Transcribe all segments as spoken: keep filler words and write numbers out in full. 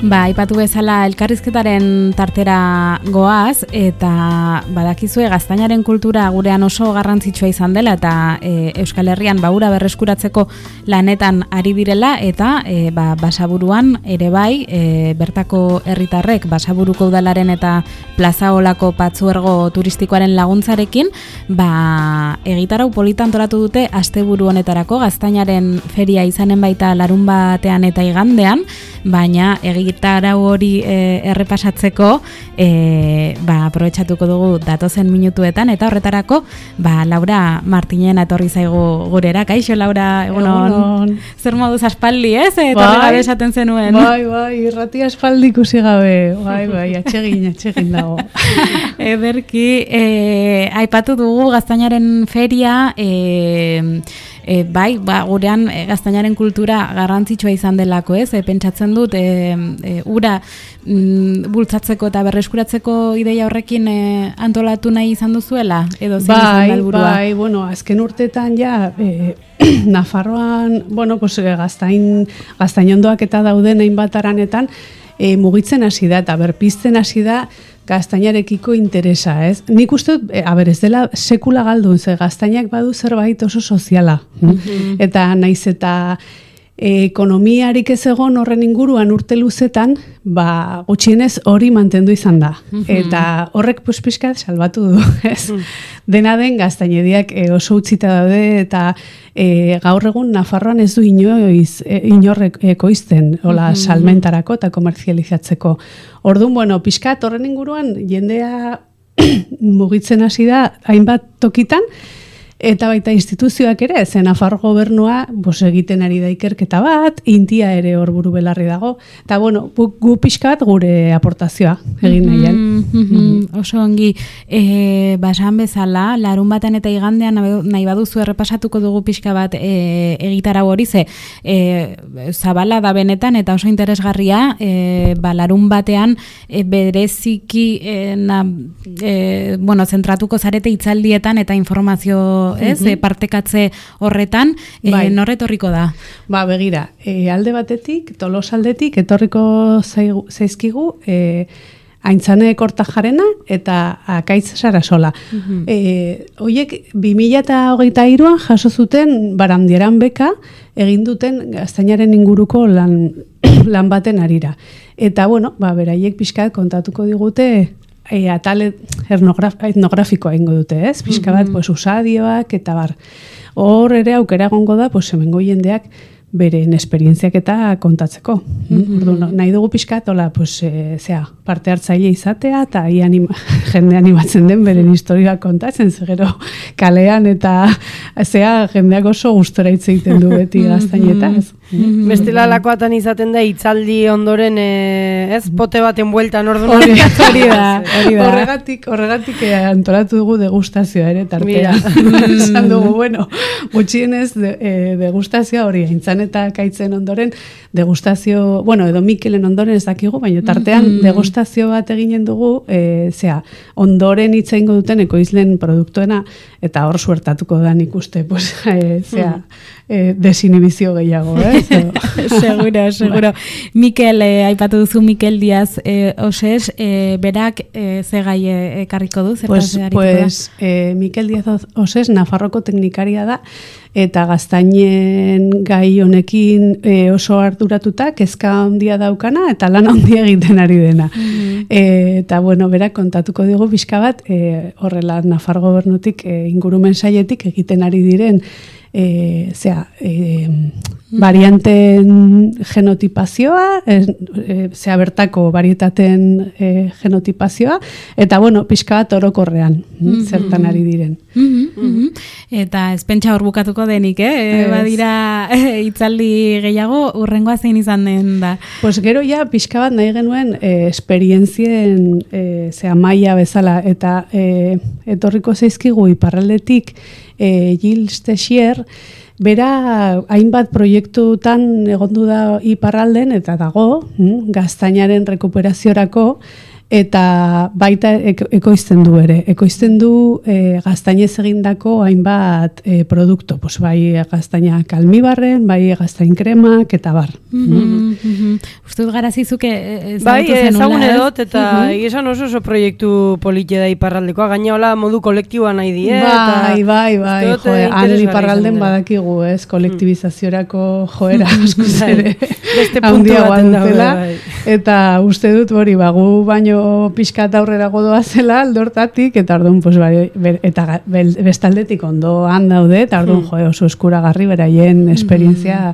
Ba, aipatu bezala elkarrizketaren tartera goaz, eta badakizue gaztainaren kultura gurean oso garrantzitsua izan dela, eta e, Euskal Herrian baura berreskuratzeko lanetan ari direla, eta e, ba, Basaburuan ere bai, e, bertako herritarrek Basaburuko udalaren eta Plaza Olako patzuergo turistikoaren laguntzarekin, ba, egitarau polita antolatu dute asteburu honetarako, gaztainaren feria izanen baita larun batean eta igandean, baina egitarau hori e, errepasatzeko e, ba, aprobetxatuko dugu datozen minutuetan, eta horretarako ba, Laura Martinen etorri zaigu gurera. Kaixo, Laura, egunon. Egunon. Zer moduz aspaldi, ez? Etorri bai, gabe esaten zenuen. Bai, bai, irrati aspaldi ikusi gabe. Bai, bai, atxegin, atxegin dago. Ederki, e, aipatu dugu gaztainaren feria, e, E, bai, ba, gurean e, gaztainaren kultura garrantzitsua izan delako, ez? E, pentsatzen dut, e, e, ura mm, bultzatzeko eta berreskuratzeko ideia horrekin e, antolatu nahi izan duzuela? Edo zein bai, izan da helburua? Bai, bueno, azken urtetan ja, e, Nafarroan, bueno, pues, gaztain, gaztainondoak eta dauden hainbat aranetan, e, mugitzen hasi da eta berpizten hasi da gaztainarekiko interesa, ez? Nik uste, e, aber, ez dela sekula galdun, ze gaztainak badu zerbait oso soziala. Mm-hmm. Eta naiz eta e, ekonomiarik ez egon horren inguruan urte luzetan, ba, gutxienez hori mantendu izan da. Mm-hmm. Eta horrek pues, pixkat salbatu du, ez? Mm-hmm. Dena den gaztainediak e, oso utzita daude, eta e, gaur egun Nafarroan ez du inoiz, e, inorrek ekoizten, hola, mm-hmm. salmentarako eta komerzializatzeko. Orduan, bueno, pixkat horren inguruan jendea mugitzen hasi da hainbat tokitan, eta baita instituzioak ere, zen Nafarro gobernua bos, egiten ari da ikerketa bat, Intia ere hor buru belarri dago, eta bueno, gu, gu pixkat gure aportazioa egin nahian. Mm-hmm, mm-hmm. Oso ongi, e, basan bezala, larun batean eta igandean nahi baduzu errepasatuko dugu pixka bat e, egitarau hori, ze e, zabala da benetan eta oso interesgarria, e, ba, larun batean e, bereziki e, na, e, bueno, zentratuko zarete hitzaldietan eta informazio ez, mm-hmm. partekatze horretan, bai. e, norretorriko da? Ba, begira, e, alde batetik, Tolos aldetik, etorriko zaigu, zaizkigu, e, Aintzane Kortajarena eta Akaitz Sarasola. Mm-hmm. E, oiek, bi mila hogeita hiruan jaso zuten Barandieran beka, egin duten gaztainaren inguruko lan, lan baten arira. Eta, bueno, ba, beraiek pixkat kontatuko digute, E, atale etnografikoa ingo dute, ez? Pixka bat, mm-hmm. pues, usadioak eta bar. Hor ere aukera egongo da, pues, hemengo jendeak beren esperientziak eta kontatzeko. Mm-hmm. Ordu, nahi dugu pixkat, hola, pues, e, zea, parte hartzaile izatea, eta anima, jende animatzen den beren historia kontatzen, zegero kalean eta zea, jendeak oso gustora hitz egiten du beti gaztainetaz. Mm-hmm. Bestela lakoatan izaten da hitzaldi ondoren e, ez pote baten bueltan orduan hori da, hori da. Horregatik, horregatik e, antolatu dugu degustazioa ere tartea. Esan dugu, bueno, gutxienez de, e, degustazioa hori aintzan eta Akaitzen ondoren degustazio, bueno, edo Mikelen ondoren ez dakigu, baina tartean mm-hmm. degustazio bat eginen dugu, e, zea, ondoren hitz egingo duten ekoizlen produktuena, eta hor suertatuko da nik uste, pues, e, zea, e, desinibizio gehiago, eh? Seguro, seguro. Mikel, eh, aipatu duzu Mikel Diaz eh, Oses, eh, berak eh, ze gai ekarriko du? Pues, pues eh, Mikel Diaz Oses Nafarroko teknikaria da, eta gaztainen gai honekin e, oso arduratuta, kezka handia daukana, eta lan handia egiten ari dena. Mm-hmm. E, eta, bueno, berak kontatuko digu pixka bat, e, horrela Nafar gobernutik e, ingurumen saietik egiten ari diren, e, zera, e, varianten genotipazioa, e, e, zera bertako varietaten e, genotipazioa, eta, bueno, pixka bat orokorrean, mm-hmm. zertan ari diren. Mm-hmm. Mm-hmm. Eta ez pentsa hor bukatuko denik, eh? Badira hitzaldi gehiago, urrengoa zein izan den da. Pues gero ja, pixka bat nahi genuen eh, esperientzien eh, zera maila bezala, eta eh, etorriko zaizkigu iparraldetik eh, Gilles Texier, bera hainbat proiektutan egondu da iparralden, eta dago, mm, gaztainaren rekuperaziorako, eta baita ekoizten du ere. Ekoizten du e, gaztainez egindako hainbat e, produktu, pues, bai gaztainak almibarren, bai gaztain kremak, eta bar. Mm -hmm. Uste dut garazizuke ezagutu bai, zenula. ezagun edot, eta esan oso oso proiektu politia da iparraldekoa, gaina hola modu kolektiboa nahi die. Bai, bai, bai, joe, han iparralden badakigu, ez, kolektibizaziorako joera askoz ere handiagoa dutela, eta uste dut hori, bagu baino pixkat aurrera godoa zela aldortatik, eta orduan, pues, bai, eta bestaldetik ondoan daude, eta orduan, jo, oso eskuragarri beraien esperientzia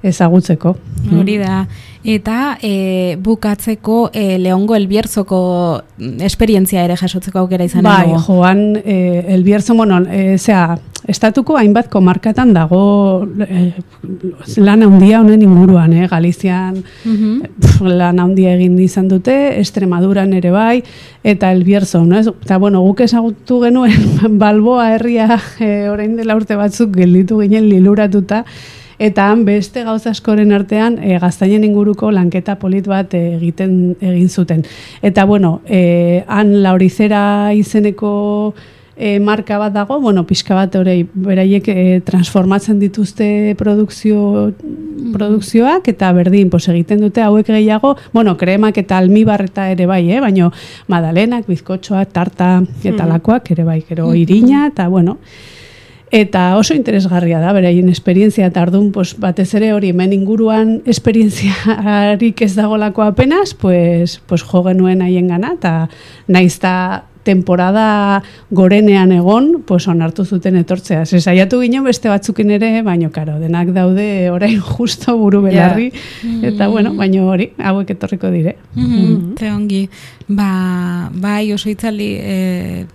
ezagutzeko. Hori da. Eta e, bukatzeko e, Leongo Elbierzoko esperientzia ere jasotzeko aukera izan bai, dugu. joan e, Elbierzo, bueno, e, zera, estatuko hainbat komarkatan dago e, lan handia honen inguruan, eh? Galizian uh-huh. pf, lan handia egin izan dute, Extremaduran ere bai, eta Elbierzo, no? Eta, bueno, guk ezagutu genuen Balboa herria e, orain dela urte batzuk gelditu ginen liluratuta, eta han beste gauza askoren artean e, gaztainen inguruko lanketa polit bat e, egiten egin zuten. Eta bueno, e, han Laurizera izeneko e, marka bat dago, bueno, pixka bat horei beraiek e, transformatzen dituzte produkzio produkzioak, eta berdin, pos, egiten dute hauek gehiago, bueno, kremak eta almibarreta ere bai, eh? Baina madalenak, bizkotxoak, tarta eta lakoak ere bai, gero irina, eta bueno, eta oso interesgarria da, beraien esperientzia, eta orduan, pues, batez ere hori, hemen inguruan esperientziarik ez dagolako apenas, pues, pues, jo genuen haien gana, eta naizta temporada gorenean egon, pues, onartu zuten etortzea. Se saiatu ginen beste batzukin ere, baino karo, denak daude orain justo buru belarri, yeah. Eta bueno, baino hori, hauek etorriko dire. Mm-hmm. Ze ongi, ba, bai oso itzaldi, eh,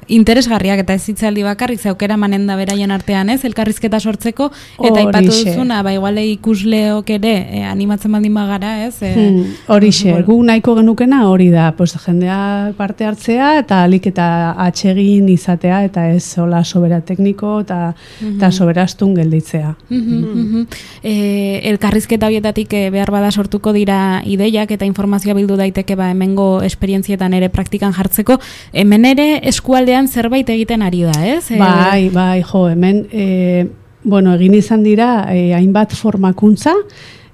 interesgarriak eta ez hitzaldi bakarrik zaukera manen da beraien artean, ez? Elkarrizketa sortzeko, eta aipatu duzuna, ba iguale ikusleok ere eh, animatzen baldin bagara, ez? Eh, hmm, horixe, gu nahiko genukena hori da, pues, jendea parte hartzea eta alik eta atsegin izatea, eta ez hola sobera tekniko eta mm -hmm. soberastun gelditzea. Mm -hmm, mm -hmm. Eh, elkarrizketa horietatik eh, behar bada sortuko dira ideiak eta informazioa bildu daiteke ba hemengo esperientzietan ere praktikan jartzeko, hemen ere eskualdean zerbait egiten ari da, ez? Bai, bai, jo, hemen, e, bueno, egin izan dira, e, hainbat formakuntza,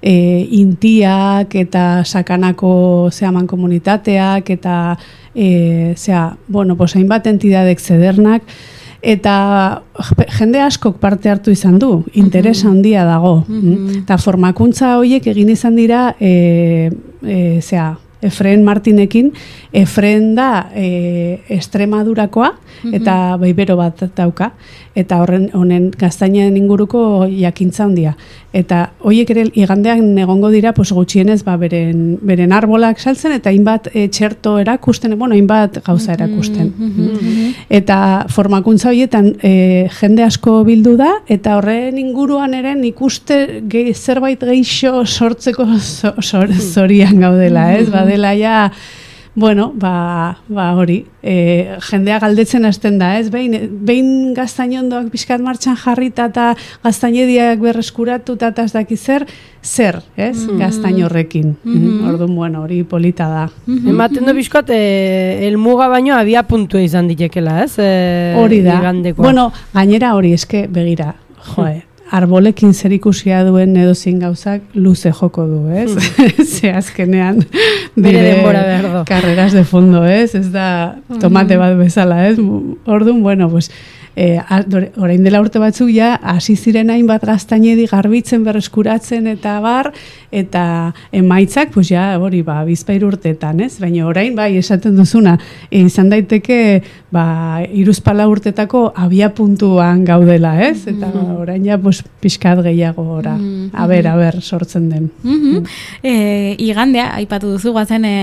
e, intiak eta sakanako zehaman komunitateak eta, e, zea, bueno, pues, hainbat entidadek zedernak, eta jende askok parte hartu izan du, interes handia dago. Mm-hmm. Eta formakuntza horiek egin izan dira, e, e, zea, Efren Martinekin, Efren da e, Extremadurakoa, eta baibero bat dauka, eta horren honen gaztainen inguruko jakintza handia. Eta horiek ere igandean egongo dira, pues, gutxienez ba, beren, beren arbolak saltzen, eta hainbat e, txerto erakusten, bueno, hainbat gauza erakusten. Eta formakuntza horietan e, jende asko bildu da, eta horren inguruan ere ikuste ge, zerbait geixo sortzeko zorian so, gaudela, ez? Badela ja, bueno, ba, ba hori, e, jendea galdetzen hasten da, ez? Behin, behin gaztainondoak pixkat martxan jarrita eta gaztainediak berreskuratuta eta ez daki zer, zer, ez? Mm-hmm. Gaztain horrekin. Mm-hmm. Orduan, bueno, hori polita da. Mm-hmm. Ematen du pixkat, e, elmuga baino abia puntua izan ditekela, ez? E, hori da. Igandekoa. Bueno, gainera hori, eske, begira, joe, arbolekin zer ikusia duen edozin gauzak luze joko du, ez? Hmm. Ze azkenean dire karreras de fondo, ez? Ez da tomate bat bezala, ez? Orduan, bueno, pues, eh, orain dela urte batzuk ja, hasi ziren hainbat gaztainedi garbitzen, berreskuratzen eta bar, eta emaitzak, pues ja, hori, ba, bizpahiru urteetan, ez? Baina orain, bai, esaten duzuna, e, izan daiteke, ba, hiruzpalau urtetako abia puntuan gaudela, ez? Eta mm-hmm. orain ja, pues, pixkat gehiago gora. Mm-hmm. A ber, a ber, sortzen den. Mm-hmm. Mm. E, igandea, aipatu duzu, guazen e,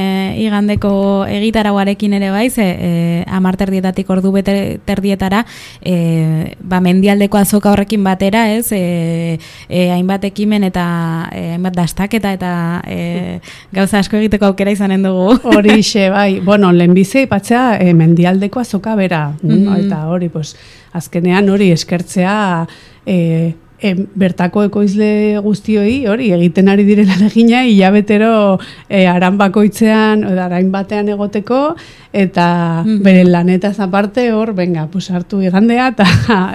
igandeko egitarauarekin ere bai, ze e, amar terdietatik ordu bete terdietara, e, ba, mendialdeko azoka horrekin batera, ez? E, e, hainbat ekimen eta e, hainbat dastaketa eta e, gauza asko egiteko aukera izanen dugu. Horixe, bai. Bueno, lehenbizi ipatzea e, mendialdeko azoka bera. Mm-hmm. Eta hori, pues, azkenean hori eskertzea e, e, bertako ekoizle guztioi hori egiten ari direla egina hilabetero e, aran bakoitzean edo arain batean egoteko eta mm-hmm. bere lanetaz aparte hor venga pues hartu igandea eta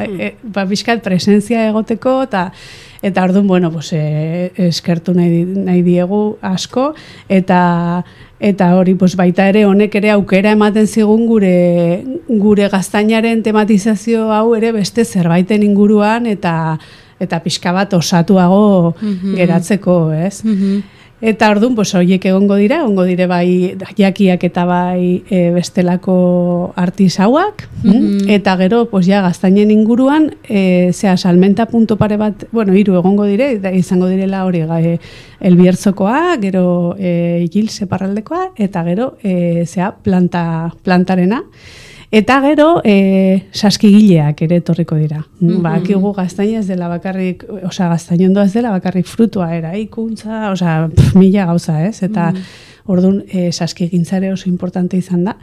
e, ba bizkat presentzia egoteko eta eta orduan bueno pues e, eskertu nahi, nahi diegu asko eta eta hori pues baita ere honek ere aukera ematen zigun gure gure gaztainaren tematizazio hau ere beste zerbaiten inguruan eta eta pixka bat osatuago mm-hmm. geratzeko, ez? Mm-hmm. Eta orduan, pues, horiek egongo dira, egongo dire bai jakiak eta bai e, bestelako artisauak, mm-hmm. eta gero, pues, ja, gaztainen inguruan, e, zea, salmenta punto pare bat, bueno, hiru egongo dire, eta izango direla hori, e, elbiertzokoa, gero e, gil separraldekoa, eta gero, e, zea, planta, plantarena, eta gero, e, saskigileak ere etorriko dira. Mm-hmm. Ba, akigu gaztaina ez dela bakarrik, osea, gaztainondoa ez dela bakarrik frutua, eraikuntza, osea, pff, mila gauza, ez? Eta, mm-hmm. orduan, e, saskigintzare oso importante izan da.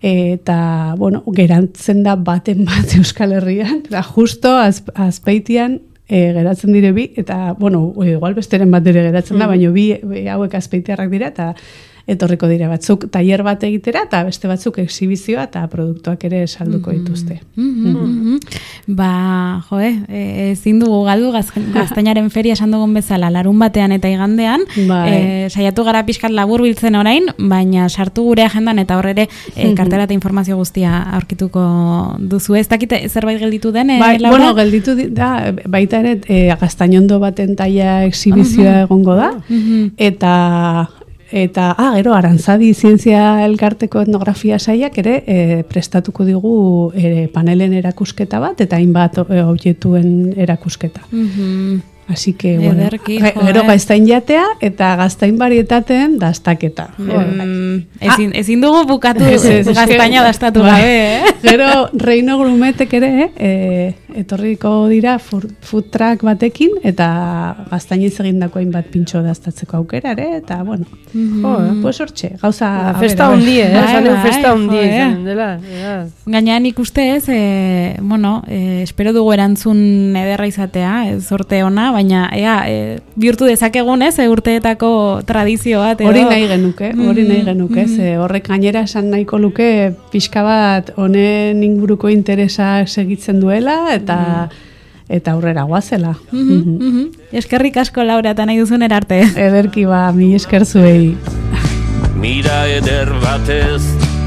Eta, bueno, gerantzen da baten bat Euskal Herrian, da, justo az, azpeitian, e, geratzen dire bi, eta, bueno, igual besteren bat ere geratzen da, mm-hmm. baina bi, bi hauek azpeitiarrak dira, eta etorriko dire batzuk tailer bat egitera eta beste batzuk exhibizioa eta produktuak ere salduko dituzte. Mm-hmm. Mm-hmm. Ba, joe, ezin dugu galdu gaztainaren feria esan dugun bezala larun batean eta igandean, e, saiatu gara pixkat labur biltzen orain, baina sartu gure agendan eta horre ere e, kartela eta informazio guztia aurkituko duzu. Ez dakite zerbait gelditu den, e, bai, Laura? Bueno, gelditu da, baita ere e, gaztainondo baten taia exhibizioa uh-huh. egongo da, uh-huh. eta Eta, ah, gero, Arantzadi Zientzia Elkarteko etnografia saiak ere e, prestatuko digu e, panelen erakusketa bat, eta hainbat objektuen erakusketa. Mm-hmm. Así que, bueno, Ederki, gero gaztain jatea eta gaztain barietateen dastaketa. Mm, ezin, ezin dugu bukatu gaztaina dastatu gabe, eh? Gero Reino Grumetek ere e, etorriko dira food truck batekin eta gaztainiz egindako hainbat pintxo dastatzeko aukera ere, eta, bueno, mm-hmm. jo, pues hortxe, gauza... Festa hundi, eh? Bai, festa hundi izan dela. Gainean ikuste ez, e, bueno, e, espero dugu erantzun ederra izatea, ez sorte ona, baina ea, e, bihurtu dezakegun ez, e, urteetako tradizio bat. Edo. Hori nahi genuke, hori nahi genuke, mm-hmm. ze horrek gainera esan nahiko luke pixka bat honen inguruko interesa segitzen duela, eta mm-hmm. eta aurrera goazela. Mm-hmm. Mm-hmm. Eskerrik asko, Laura, eta nahi duzun erarte. Ederki ba, mi esker zuei. Mira eder batez